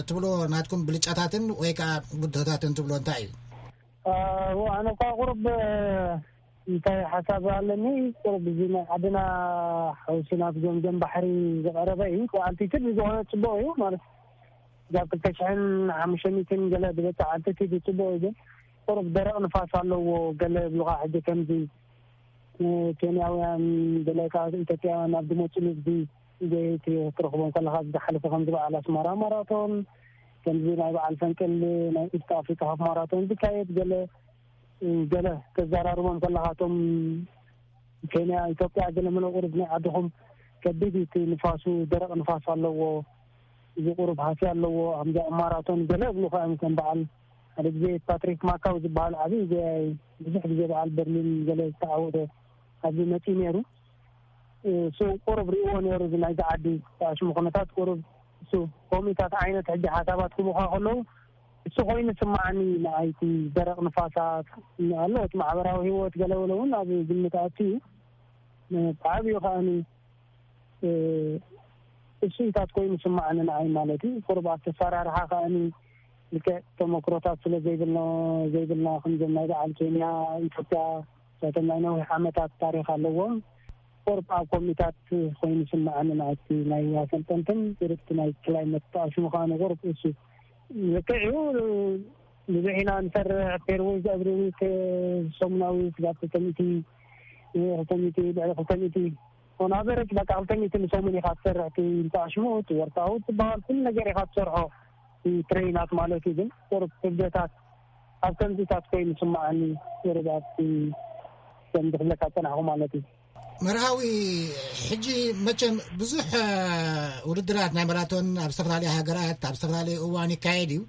ትብሎ ናትኩም ብልጫታትን ወይ ከዓ ብድሆታትን ትብሎ እንታይ እዩ? ኣነ እኳ ቁሩብ እንታይ ሓሳብ ኣለኒ ቁሩብ እዚ ናይ ዓድና ሓውሲ ናብ ገምገም ባሕሪ ዝቐረበ እዩ። ኣልቲቱድ ዝኾነ ፅቡቅ እዩ ማለት ካብ ክልተ ሽሕን ሓሙሽተ ሚእትን ገለ ዝበፅሕ ኣልቲቱድ ፅቡቅ እዩ። ግን ቁሩብ ደረቕ ንፋስ ኣለዎ ገለ ይብሉካ። ሕጂ ከምዚ ኬንያውያን ገለ ካብ ኢትዮጵያውያን ናብ ዝመፁ ንግዲ ዘይትረኽቦም ከለካ ዝሓለፈ ከምዚ በዓል ኣስመራ ማራቶን ከምዚ ናይ በዓል ፈንቅል ናይ ኢስት ኣፍሪካ ሃፍ ማራቶን ዝካየድ ገለ ገለ ተዘራርቦም ከለካ እቶም ኬንያ ኢትዮጵያ ገለ መለ ቁሩብ ናይ ዓድኹም ከቢድ እቲ ንፋሱ ደረቕ ንፋስ ኣለዎ እዚ ቁሩብ ሃሲ ኣለዎ ኣምዚ ኣብ ማራቶን ገለ እብሉ ከ ከም በዓል ሓደ ግዜ ፓትሪክ ማካው ዝበሃል ዓብዪ ጎያይ ብዙሕ ግዜ በዓል በርሊን ገለ ዝተዓወተ ኣብዚ መፂኡ ነይሩ እሱ ቁሩብ ሪእዎ ነይሩ እዚ ናይዚ ዓዲ ተኣሽሙ ኩነታት ቁሩብ እሱ ከምኡታት ዓይነት ሕጂ ሓሳባት ክቡካ ከለዉ እሱ ኮይኑ ስማዓኒ ንኣይቲ ደረቕ ንፋሳት ኣሎ እቲ ማሕበራዊ ህይወት ገለበለ እውን ኣብ ግምት ኣትዩ ብዓብዩ ከኣኒ እሱኢታት ኮይኑ ስማዓኒ ንኣይ ማለት እዩ ቁሩብ ኣብቲ ኣሰራርሓ ከኣኒ ልክዕ ተመክሮታት ስለ ዘይብልና ዘይብልና ከምዞም ናይ በዓል ኬንያ ኢትዮጵያ እሳቶም ናይ ነዊሕ ዓመታት ታሪክ ኣለዎም ቁርብ ኣብ ኮሚታት ኮይኑ ስምዓኒ ናቲ ናይ ኣሰልጠንትን ቁርብቲ ናይ ክላይመት ተኣሽሙ ከኣ ንቁርብ እሱ ልክዕ እዩ ብዙሕ ኢና ንሰርሕ ፔርወይ ዘእብሪ ዊክ ሰሙናዊ ስጋብ ክልተ ሚእቲ ክልተ ሚእቲ ልዕሊ ክልተ ሚእቲ ኦን ኣቨረጅ በቃ ክልተ ሚእቲ ንሰሙን ኢኻ ትሰርሕ እቲ ተኣሽሙ እቲ ወርታዊ ትበሃል ኩሉ ነገር ኢኻ ትሰርሖ ትሬናት ማለት እዩ ግን ቁርብ ክብደታት ኣብ ከምዚታት ኮይኑ ስምዓኒ ቁርብ ኣብቲ ከም ዝፍለካ ፀናሕኩ ማለት እዩ መርሃዊ ሕጂ መቸም ብዙሕ ውድድራት ናይ ማራቶን ኣብ ዝተፈላለዩ ሃገራት ኣብ ዝተፈላለዩ እዋን ይካየድ እዩ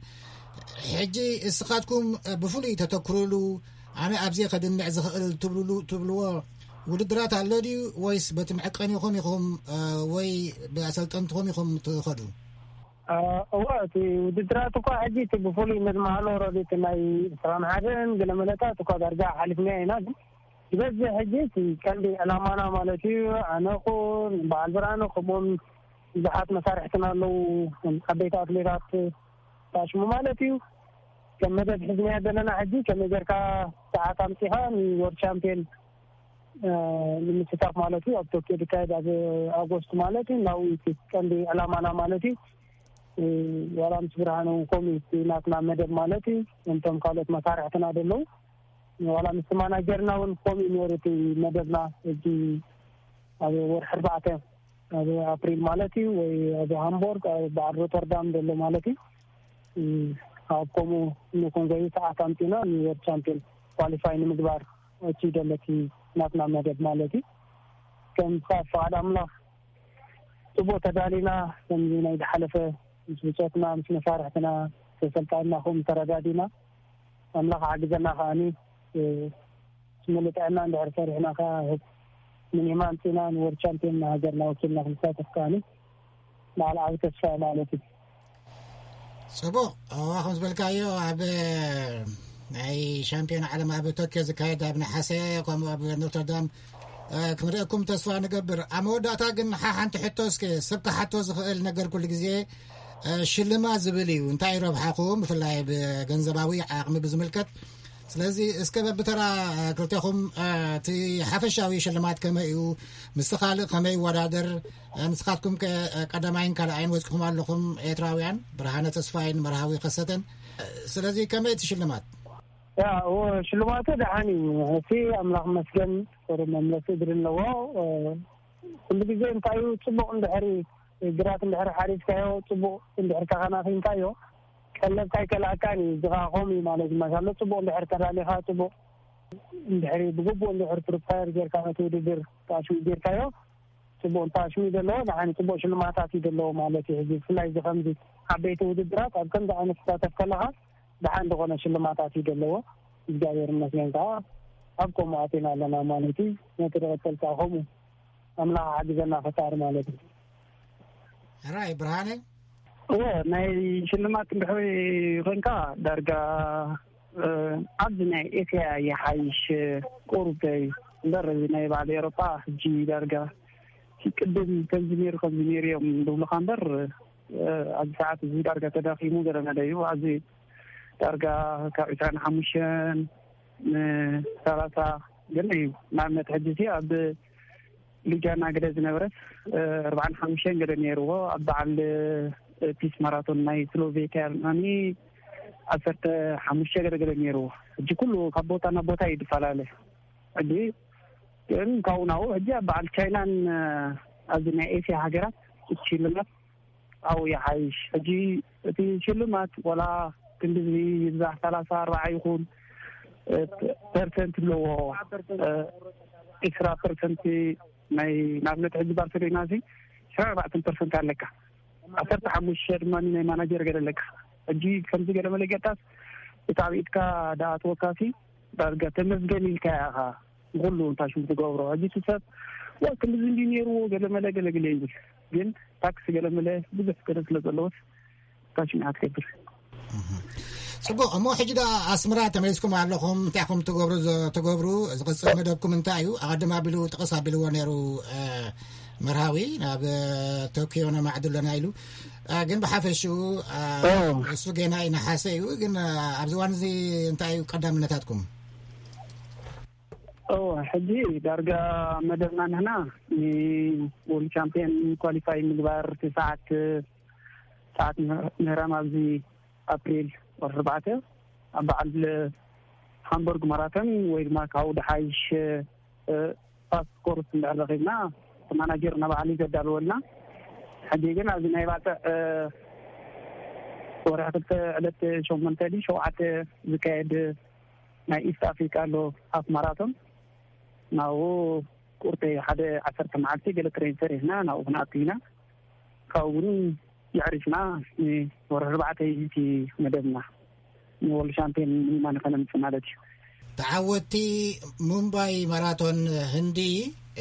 ሕጂ እስኻትኩም ብፍሉይ ተተክሩሉ ኣነ ኣብዚ ከድምዕ ዝኽእል ትብልዎ ውድድራት ኣሎ ድዩ ወይስ በቲ መዕቀኒኹም ኢኹም ወይ ብኣሰልጠንትኹም ኢኹም ትኸዱ? እወ እቲ ውድድራት እኳ ሕጂ እቲ ብፍሉይ ነድመሃሎ ረዲ እቲ ናይ ዕስራን ሓደን ገለ መለታት እኳ ዳርጋ ሓሊፍናዮ ኢና ግን ዝበዝሕ ሕጂ እቲ ቀንዲ ዕላማና ማለት እዩ ኣነ ኹን በዓል ብርሃነ ከምኡውን ብዙሓት መሳርሕትና ኣለዉ ዓበይቲ ኣትሌታት ታሽሙ ማለት እዩ ከም መደብ ሒዝናዮ ዘለና ሕጂ ከመይ ጌርካ ሰዓት ኣምፂኻ ንወርልድ ቻምፒየን ንምስታፍ ማለት እዩ። ኣብ ቶኪዮ ዝካየድ ኣብ ኣጎስት ማለት እዩ። ናብኡ እቲ ቀንዲ ዕላማና ማለት እዩ። ዋላ ምስ ብርሃነ እውን ከምኡ እቲ ናትና መደብ ማለት እዩ። እንቶም ካልኦት መሳርሕትና ዘለዉ ዋላ ምስ ማናጀርና እውን ከምኡ ነይሩ እቲ መደብና። እዚ ኣብ ወርሒ ኣርባዕተ ኣብ ኣፕሪል ማለት እዩ ወይ ኣብ ሃምቦርግ ኣብ በዓል ሮተርዳም ዘሎ ማለት እዩ። ኣብ ከምኡ ንኹን ዘዩ ሰዓት ኣምፂና ንወርድ ቻምፒዮን ኳሊፋይ ንምግባር እቲ ደለቲ ናትና መደብ ማለት እዩ። ከም ፍቃድ ኣምላኽ ጽቡቅ ተዳሊና። ከምዚ ናይ ዝሓለፈ ምስ ብጾትና ምስ መሳርሕትና ተሰልጣንና ከምኡ ተረዳዲና ኣምላኽ ሓግዘና ከዓኒ ምሉእ ጥዕና እንድሕር ሰሪሕና ከዓ ምኒማ ኣምፂና ንወርድ ቻምፒዮን ንሃገርና ወኪልና ክንሳተፍ ከዓኒ በዓል ዓቢ ተስፋ ማለት እዩ። ጽቡቕ። እዋ ከም ዝበልካዮ ኣብ ናይ ሻምፒዮን ዓለም ኣብ ቶኪዮ ዝካየድ ኣብ ነሓሰ ከምኡ ኣብ ኖትርዳም ክንርእየኩም ተስፋ ንገብር። ኣብ መወዳእታ ግን ሓንቲ ሕቶ እስከ ሰብ ክሓቶ ዝኽእል ነገር ኩሉ ግዜ ሽልማት ዝብል እዩ። እንታይ ረብሓኹም ብፍላይ ብገንዘባዊ ዓቕሚ ብዝምልከት? ስለዚ እስከ በብተራ ክልቴኹም እቲ ሓፈሻዊ ሽልማት ከመይ እዩ? ምስ ካልእ ከመይ ይወዳደር? ንስኻትኩም ከ ቀዳማይን ካልኣይን ወፂኹም ኣለኹም ኤርትራውያን ብርሃነ ተስፋይን መርሃዊ ከሰተን። ስለዚ ከመይ እቲ ሽልማት? ሽልማቱ ደሓን እዩ። እቲ ኣምላኽ መስገን ጥሩ መምለሲ እግሪ ኣለዎ። ኩሉ ግዜ እንታይ እዩ ጽቡቕ እንድሕሪ ግራት እንድሕሪ ሓሪስካዮ ጽቡቕ እንድሕሪ ተኸናኺንካዮ ቀለብካ ኣይከልኣካን እዩ። እዚ ከዓ ከምኡ እዩ ማለት እዩ። ማሻሎ ጽቡቕ እንድሕሪ ተዳሊኻ ጽቡቕ እንድሕሪ ብግቡእ እንድሕሪ ፕሪፓየር ጌርካ ነቲ ውድድር ተኣሽሙ ጌርካዮ ጽቡቕ ተኣሽሙ እዩ ዘለዎ። ንዓኒ ጽቡቕ ሽልማታት እዩ ዘለዎ ማለት እዩ። ሕዚ ብፍላይ እዚ ከምዚ ዓበይቲ ውድድራት ኣብ ከምዚ ዓይነት ትሳተፍ ከለኻ ደሓን ዝኾነ ሽልማታት እዩ ዘለዎ። እግዚኣብሔር ይመስገን ከዓ ኣብ ከምኡ ኣቴና ኣለና ማለት እዩ። ነቲ ዝቐጸል ከዓ ከምኡ ኣምላኽ ሓግዘና ፈጣሪ ማለት እዩ። ሕራይ ብርሃነ እወ ናይ ሽልማት እንድሕሪ ኮንካ ዳርጋ ኣብዚ ናይ ኤስያ ይሓይሽ ቁሩብ እምበር እዚ ናይ በዓል ኤሮጳ ሕጂ ዳርጋ ቅድም ከምዚ ነይሩ ከምዚ ነይሩ እዮም ዝብሉካ እምበር ኣብዚ ሰዓት እዚ ዳርጋ ተዳኺሙ ገለ መለ እዩ። ኣብዚ ዳርጋ ካብ ዕስራን ሓሙሽተን ንሰላሳ ገለ እዩ። ንኣብነት ሕጂ እዚ ኣብ ሉጃና ገለ ዝነበረስ ኣርባዓን ሓሙሽተን ገለ ነይርዎ። ኣብ በዓል ፒስ ማራቶን ናይ ስሎቬኪያ ድማ ዓሰርተ ሓሙሽተ ገለ ገለ ነይርዎ። ሕጂ ኩሉ ካብ ቦታ ናብ ቦታ እዩ ዝፈላለ። ሕጂ ግን ካብኡ ናብኡ ሕጂ ኣብ በዓል ቻይናን ኣብዚ ናይ ኤስያ ሃገራት ሽልማት ኣብኡ ይሓይሽ። ሕጂ እቲ ሽልማት ዋላ ክንድዚ ይብዛሕ ሰላሳ ኣርባዓ ይኹን ፐርሰንት ኣለዎ። ዕስራ ፐርሰንት ናይ ንኣብነት ሕጂ ባርሴሎና እዚ ዕስራ ኣርባዕተ ፐርሰንት ኣለካ። ዓሰርተ ሓሙሽተ ድማ ናይ ማናጀር ገለ ኣለካ። ሕጂ ከምዚ ገለ መለ ጌርካስ እቲ ኣብ ኢድካ ደኣ ትወካሲ ዳርጋ ተመስገን ኢልካ ኢኻ ንኹሉ እንታይ ሽሙ ትገብሮ። ሕጂ እቲ ሰብ ዋ ክንድዚ እንዲ ነይርዎ ገለ መለ ገለ ገለ ይብል። ግን ታክሲ ገለ መለ ብዙሕ ገለ ስለ ዘለዎስ ታክሲ ንዓ ትገብር። ጽቡቕ። እሞ ሕጂ ዳ ኣስመራ ተመሊስኩም ኣለኹም። እንታይ ኢኹም ትገብሩ? ትገብሩ ዝቕጽል መደብኩም እንታይ እዩ? ኣቐድም ኣቢሉ ጥቕስ ኣቢልዎ ነይሩ መርሃዊ ናብ ቶኪዮ ነማዕዱ ኣለና ኢሉ። ግን ብሓፈሽኡ እሱ ገና ይነሓሰ እዩ። ግን ኣብዚ እዋን እዚ እንታይ እዩ ቀዳምነታትኩም? እወ ሕጂ ዳርጋ መደብና ንሕና ንወርልድ ቻምፒየን ኳሊፋይ ምግባር እቲ ሰዓት ሰዓት ምህራም ኣብዚ ኣፕሪል ወርሒ ኣርባዕተ ኣብ በዓል ሃምበርግ ማራቶን ወይ ድማ ካብኡ ድሓይሽ ፋስት ኮርስ እንድሕር ረኺብና እቲ ማናጀር ናባዕሉ እዩ ዘዳልወልና። ሕጂ ግን ኣብዚ ናይ ባፅዕ ወርሒ ክልተ ዕለት ሸሞንተ ድዩ ሸውዓተ ዝካየድ ናይ ኢስት ኣፍሪካ ኣሎ ሃፍ ማራቶን ናብኡ ቁርተ ሓደ ዓሰርተ መዓልቲ ገለ ትሬን ሰሪሕና ናብኡ ክንኣቱ ኢና። ካብኡ እውን የዕሪፍና ንወርሒ ኣርባዕተ እዩ እቲ መደብና ንወርልድ ሻምፒዮን ምኒማ ንኸነምፅእ ማለት እዩ። ተዓወትቲ ሙምባይ ማራቶን ህንዲ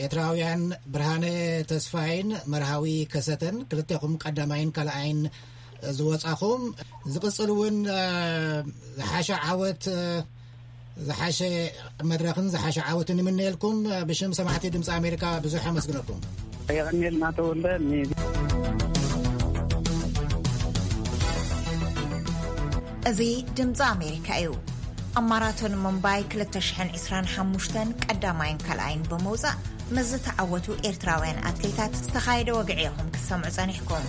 ኤርትራውያን ብርሃነ ተስፋይን መርሃዊ ከሰተን ክልቴኹም ቀዳማይን ካልኣይን ዝወጻኹም ዝቕጽል እውን ዝሓሸ ዓወት ዝሓሸ መድረኽን ዝሓሸ ዓወትን ይምነየልኩም። ብሽም ሰማዕቲ ድምፂ ኣሜሪካ ብዙሕ ኣመስግነኩም። የቐንየልና ተወልደ። እዚ ድምፂ ኣሜሪካ እዩ። ኣብ ማራቶን ሙምባይ ክልተ ሽሕን ዕስራን ሓሙሽተን ቀዳማይን ካልኣይን ብምውጻእ ምስ ዝተዓወቱ ኤርትራውያን ኣትሌታት ዝተኻየደ ወግዒ ኢኹም ክትሰምዑ ጸኒሕኩም።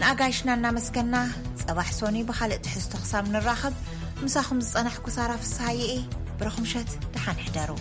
ንኣጋይሽና እናመስገና፣ ጸባሕ ሶኒ ብኻልእ ትሕዝቶ ክሳብ ንራኸብ፣ ምሳኹም ዝጸናሕኩ ሳራ ፍስሃየ እየ። ብሩኽ ምሸት፣ ደሓን ሕደሩ።